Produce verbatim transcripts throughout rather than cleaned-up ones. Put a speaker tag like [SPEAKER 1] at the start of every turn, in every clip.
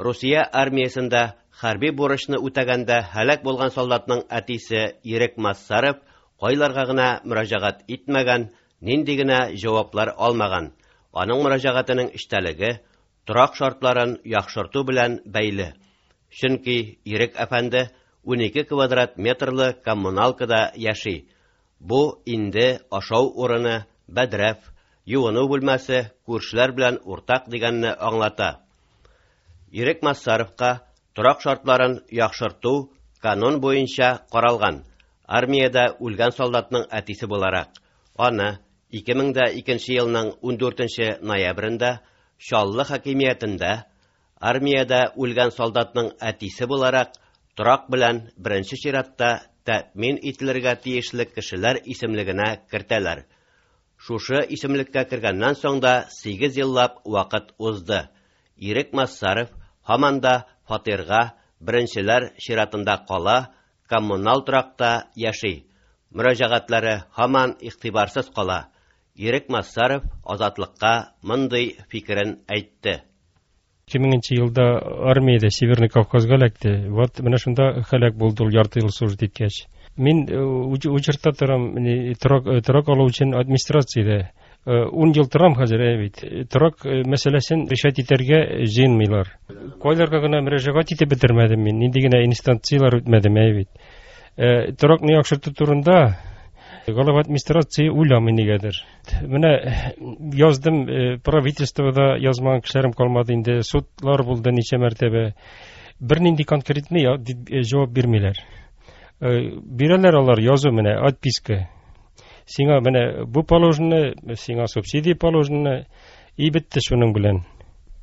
[SPEAKER 1] Русия армиясендә хәрби бурычны үтәгәндә һәлак булган солдатның әтисе Ирек Массаров кайларга гына мөрәҗәгать итмәгән, нинди генә җаваплар алмаган. Аның мөрәҗәгатенең эчтәлеге торак шартларын яхшырту белән бәйле. Чөнки Ирек әфәнде унике квадрат метрлы коммуналкада яши. Бу инде ашау урыны, бәдрәф, юыну бүлмәсе, күршеләр белән уртак дигәнне аңлата. Ирек Массаровка торак шартларын яхшырту канун буенча каралган. Армиядә үлгән солдатның әтисе буларак, аны ике мең дә икенче елның ундүртенче ноябрендә Чаллы хакимиятендә армиядә үлгән солдатның әтисе буларак торак белән беренче чиратта тәэмин ителергә тиешле кешеләр исемлегенә кертәләр. Шушы исемлеккә кергәннән соң да сигез еллап вакыт узды. Ирек Массаров һаман да фатирга беренчеләр чиратында кала, коммуналь торакта яши. Мөрәҗәгатьләре һаман игътибарсыз кала. Ирек Массаров Азатлыкка мондый фикерен әйтте.
[SPEAKER 2] Ике меңенче елда армиядә Северный Кавказга эләкте. Вот менә шунда һәлак булды ул ярты ел служить иткәч. Мин, э, уч-, учетта торам, не, торак, э, торак алу өчен администрациядә. Э, ун ел торам хәзер, әй бит. Торак, э, мәсьәләсен решать итәргә җыенмыйлар. Кайларга гына мөрәҗәгать итеп бетермәдем мин, нинди генә инстанцияләр үтмәдем, әй бит. Э, торакны яхшырту турында глава администрация уйламый нигәдер. Менә яздым, э, правительствода язмаган кешеләрем калмады инде, судлар булды ничә мәртәбә. Бернинди конкретный я-, дип, э, җавап бирмиләр. Э, бирәләр алар язу менә, отписка. Сиңа менә бу положено, сиңа субсидия положено, и бетте шуның белән.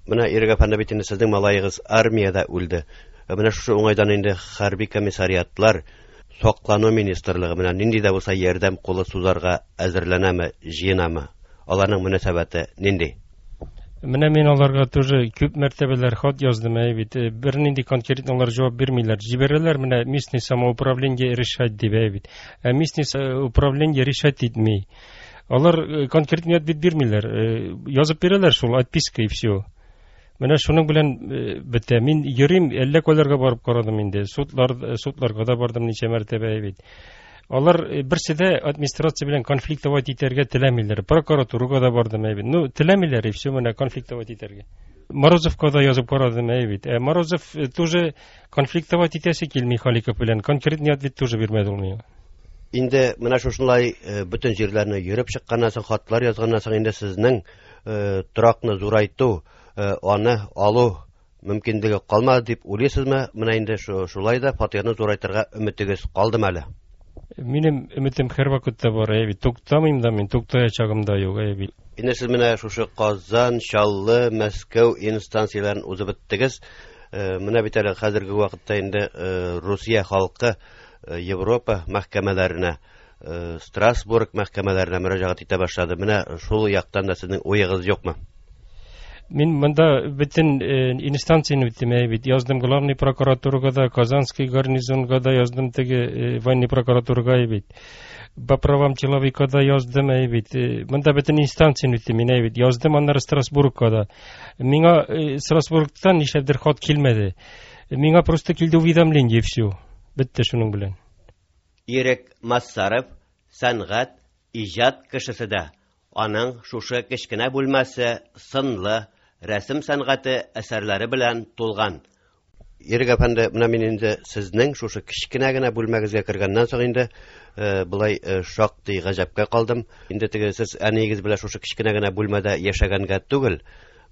[SPEAKER 1] Менә Ирек әфәнде, бит инде сезнең малаегыз армиядә үлде. Э, менә шушы уңайдан инде хәрби комиссариатлар, саклану министрлыгы менә нинди дә булса ярдәм кулы сузарга әзерләнәме, җыенамы? Аларның мөнәсәбәте нинди?
[SPEAKER 2] Менә мин аларга тоже күп мәртәбәләр хат яздым, әй бит. Э, бернинди конкретно алар җавап бирмиләр. Җибәрәләр менә местный самоуправление решать дип, әй бит. Ә местный управление решать итми. Алар, э, конкретный ответ бирмиләр. Э, язып бирәләр шул отписка и все. Менә шуның белән, э, бетә. Мин йөрим, әллә кайларга барып карадым инде. Судлар, э, судларга да бардым ничә мәртәбә, әй бит. Алар, э, берсе дә администрация белән конфликтовать итәргә теләмиләр. Прокуратурага да бардым, әй бит. Ну, теләмиләр, и все, менә конфликтовать итәргә. Морозовка да язып карадым, әй бит. Ә Морозов, э, тоже конфликтовать итәсе килми Халиков белән. Конкретный ответ тоже бирмәде ул миңа.
[SPEAKER 1] Инде менә шушылай, э, бөтен җирләрне йөреп чыкканнан соң, хатлар язганнан соң инде сезнең, э, торакны зурайту, э, аны алу мөмкинлеге калмады дип уйлыйсызмы? Менә инде шу-, шулай да фатирны зурайтырга өметегез калдымы әле?
[SPEAKER 2] Минем өметем һәр вакытта бар, әй бит. Туктамыйм да мин, туктаячагым да юк, әй бит.
[SPEAKER 1] Инде сез менә шушы Казан, Чаллы, Мәскәү инстанцияләрен узып беттегез. Э, менә бит әле хәзерге вакытта инде, э, Русия халкы, э, Европа мәхкәмәләренә, э, Страсбург мәхкәмәләренә мөрәҗәгать итә башлады. Менә шул яктан да сезнең уегыз юкмы?
[SPEAKER 2] Мин монда бөтен, э, инстанцияне үттем, әй бит. Яздым главный прокуратурага да, Казанский гарнизонга да яздым, теге, э, военный прокуратурага, әй бит. По правам человека да яздым, әй бит. Э, монда бөтен инстанцияне үттем мин, әй бит. Яздым аннары Страсбургка да. Миңа, э, Страсбургтан нишләптер хат килмәде. Миңа просто килде уведомление, и все. Бетте шуның белән.
[SPEAKER 1] Ирек Массаров сәнгать, иҗат кешесе дә. Аның шушы кечкенә бүлмәсе сынлы рәсем сәнгате әсәрләре белән тулган. Ирек әфәнде, менә мин инде сезнең шушы кечкенә генә бүлмәгезгә кергәннән соң инде, э, былай, э, шактый гаҗәпкә калдым. Инде теге сез әниегез белән шушы кечкенә генә бүлмәдә яшәгәнгә түгел,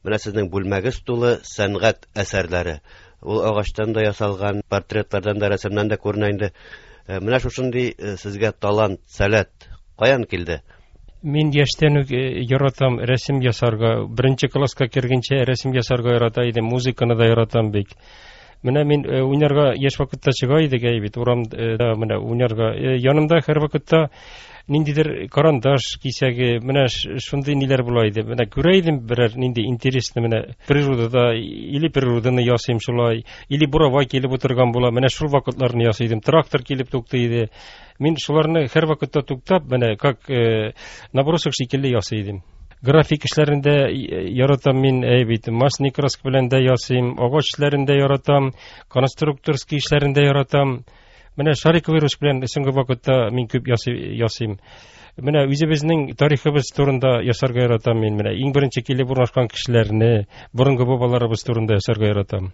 [SPEAKER 1] менә сезнең бүлмәгез тулы сәнгать әсәрләре. Ул агачтан да ясалган, портретлардан да, рәсемнән дә күренә инде. Э, менә шушындый, э, сезгә талант, сәләт каян килде?
[SPEAKER 2] Мин яшьтән үк, э, яратам рәсем ясарга. Беренче класска кергәнчә рәсем ясарга ярата идем, музыканы да яратам бик. Менә мин, э, уйнарга яшь вакытта чыга идек, әй бит, урамда, э, менә уйнарга. Э, янымда һәр вакытта ниндидер карандаш кисәге, менә ш-, шундый ниләр була иде. Менә күрә идем берәр нинди интересный, менә природада или природаны ясыйм шулай, или буровай килеп утырган була. Менә шул вакытларны ясый идем. Трактор килеп туктый иде. Мин шуларны һәр вакытта туктап, менә как, э, набросок шикелле ясый идем. График эшләрен дә яратам мин, әй бит, масляный краска белән дә ясыйм, агач эшләрен дә яратам, конструкторский эшләрен дә яратам. Менә шариковый ручка белән соңгы вакытта мин күп ясыйм. Менә үзебезнең тарихыбыз турында ясарга яратам мин. Менә иң беренче килеп урнашкан кешеләрне, борынгы бабаларыбыз турында ясарга яратам.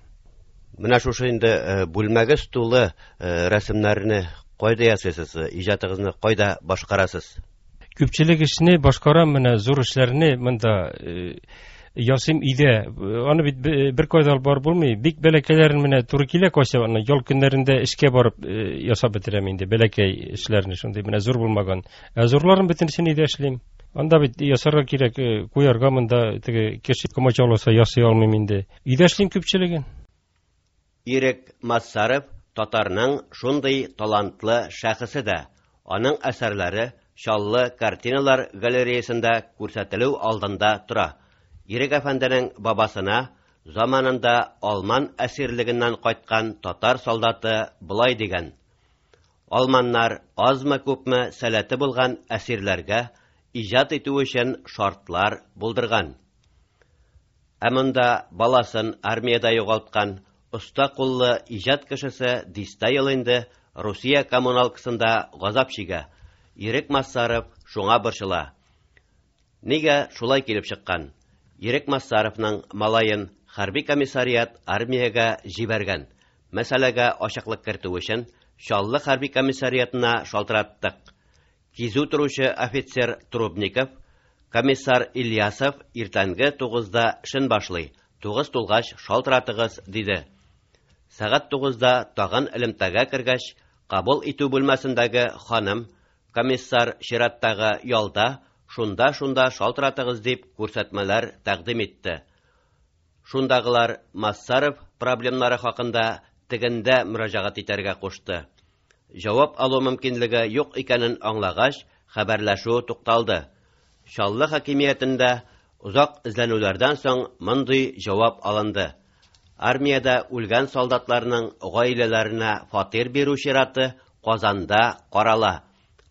[SPEAKER 1] Менә шушы инде бүлмәгез тулы рәсемнәрне кайда ясыйсыз, иҗатыгызны кайда башкарасыз?
[SPEAKER 2] Күпчелек эшне башкарам, менә зур эшләрне монда ясыйм өйдә. Аны бит бер кайда алып барып булмый. Бик бәләкәйләрен менә туры килә кайсы, аны ял көннәрендә эшкә барып ясап бетерәм инде бәләкәй эшләрне, шундый менә зур булмаган. Ә зурларын бөтенесен өйдә эшлим. Анда бит ясарга кирәк, куярга монда теге кеше комачауласа ясый алмыйм инде. Өйдә эшлим күпчелеген.
[SPEAKER 1] Ирек Массаров татарның шундый талантлы шәхесе дә. Аның әсәрләре Чаллы картиналар галереясында күрсәтелү алдында тора. Ирек әфәнденең бабасына заманында алман әсирлегеннән кайткан татар солдаты болай дигән: Алманнар азмы-күпме сәләте булган әсирләргә иҗат итү өчен шартлар булдырган. Ә монда баласын армиядә югалткан оста куллы иҗат кешесе дистә ел инде Русия коммуналкасында газап чигә. Ирек Массаров шуңа борчыла. Нигә шулай килеп чыккан? Ирек Массаровның малаен хәрби комиссариат армиягә җибәргән. Мәсьәләгә ачыклык кертү өчен Чаллы хәрби комиссариатына шалтыраттык. Кизү торучы офицер Трубников, комиссар Ильясов иртәнге тугызда эшен башлый. Тугыз тулгач шалтыратыгыз, диде. Сәгать тугызда тагын элемтәгә кергәч, кабул итү бүлмәсендәге ханым комиссар чираттагы ялда, шунда-шунда шалтыратыгыз дип күрсәтмәләр тәкъдим итте. Шундагылар Массаров проблемнары хакында тегендә мөрәҗәгать итәргә кушты. Җавап алу мөмкинлеге юк икәнен аңлагач, хәбәрләшү тукталды. Чаллы хакимиятендә озак эзләнүләрдән соң мондый җавап алынды. Армиядә үлгән солдатларның гаиләләренә фатир бирү чираты Казанда карала.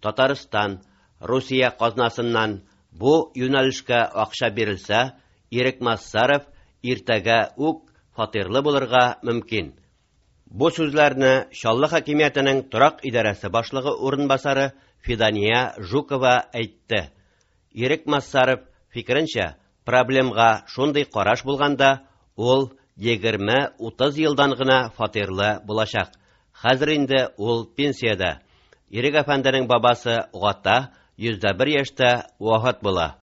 [SPEAKER 1] Татарстан, Русия казнасыннан бу юнәлешкә акча бирелсә, Ирек Массаров иртәгә үк фатирлы булырга мөмкин. Бу сүзләрне Чаллы хакимиятенең торак идарәсе башлыгы урынбасары Фидания Жукова әйтте. Ирек Массаров фикеренчә, проблемга шундый караш булганда, ул егерме утыз елдан гына фатирлы булачак. Хәзер инде ул пенсиядә. Ирек әфәнденең бабасы Гата йөз дә бер яшьтә вафат була.